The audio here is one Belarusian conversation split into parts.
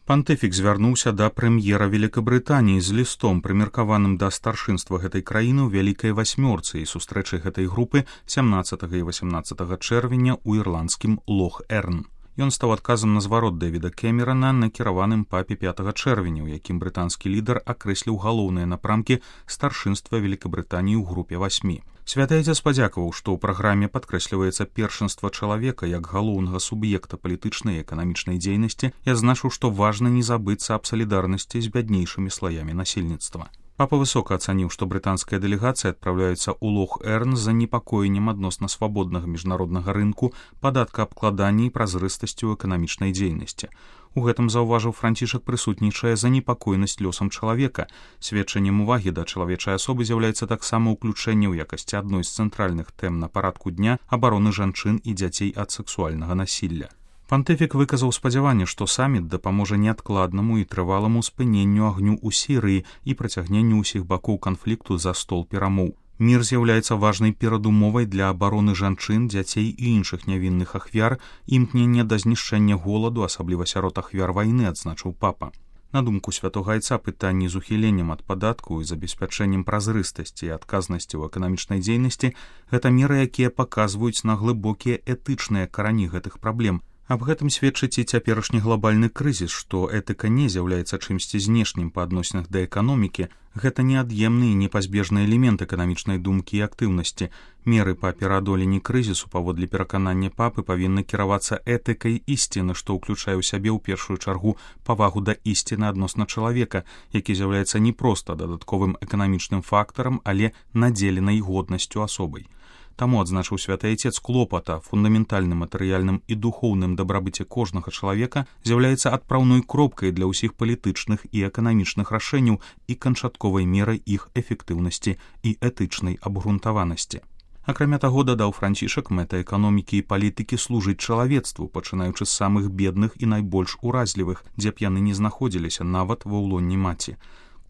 Пантыфік звярнуўся да прэм'ера Великабрытаніі з лістом, прымеркаваным да старшынства гэтай краіны ў вялікай васьмёрцы і сустрэчы гэтай групы 17 і 18 чэрвеня ў ірландскім Лох-Эрн. Ён стаў адказам на зварот Дэвіда Кэмерана, накіраваным папе 5 чэрвеня, у якім брытанскі лідар акрэсліў галоўныя напрамкі старшынства Великабрытаніі ў групе 8. Святы Айцец падзякаваў, што ў праграме падкрэсліваецца першынства чалавека як галоўнага суб'екта палітычнай і эканамічнай дзейнасці і адзначыў, што важна не забыцца аб салідарнасці з бяднейшымі слаямі насельніцтва. Папа высока ацаніў, што брытанская дэлегацыя адпраўляецца ў Лох-Эрн з занепакоеннем адносна свабоднага міжнароднага рынку, падаткаабкладання і празрыстасцю эканамічнай дзейнасці. У гэтым, заўважыў Францішак, прысутнічае занепакоенасць лёсам чалавека. Сведчаннем увагі да чалавечай асобы з'яўляецца таксама ўключэнне ў якасці адной з цэнтральных тэм на парадку дня абароны жанчын і дзяцей ад сэксуальнага насілля. Пантыфік выказаў спадзяванне, што саміт дапаможа неадкладнаму і трываламу спыненню агню ў Сірыі і працягненню ўсіх бакоў канфлікту за стол перамоў. Мір з'яўляецца важнай перадумовай для абароны жанчын, дзяцей і іншых нявінных ахвяр, імкнення да знішчэння голаду, асабліва сярод ахвяр вайны, адзначыў папа. На думку святога Айца, пытанні з ухіленнем ад падатку і забеспячэннем празрыстасці і адказнасці ў эканамічнай дзейнасці – гэта меры, якія паказваюць на глыбокія этычныя карані гэтых праблем. Аб гэтым сведчыць і цяперашні глобальны крызіс, што этыка не з'яўляецца чымсьці знешнім па адносінах да эканомікі, гэта неад'емны і непазбежны элемент эканамічнай думкі і актыўнасці. Меры па пераадоленні крызісу, паводле пераканання папы, павінны кіравацца этыкай ісціны, што ўключае ў сябе ў першую чаргу павагу да ісціны адносна чалавека, які з'яўляецца не проста дадатковым эканамічным фактарам, але надзеленай годнасцю асобай. Таму, адзначыў святы Айцец, клопата фундаментальным матэрыяльным і духоўным дабрабыце кожнага чалавека з'яўляецца адпраўной кропкай для ўсіх палітычных і эканамічных рашэнняў і канчатковай мерай іх эфектыўнасці і этычнай абгрунтаванасці. Акрамя таго, дадаў Францішак, мэта эканомікі і палітыкі служыць чалавецтву, пачынаючы з самых бедных і найбольш уразлівых, дзе б яны не знаходзіліся, нават ва ўлонні маці.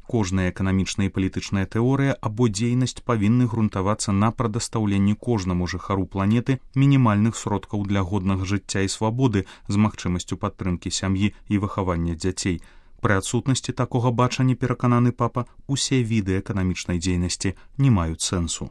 Кожная эканамічная і палітычная тэорыя або дзейнасць павінны грунтавацца на прадастаўленні кожнаму жыхару планеты мінімальных сродкаў для годнага жыцця і свабоды з магчымасцю падтрымкі сям'і і выхавання дзяцей. Пры адсутнасці такога бачання, перакананы папа, усе віды эканамічнай дзейнасці не маюць сэнсу.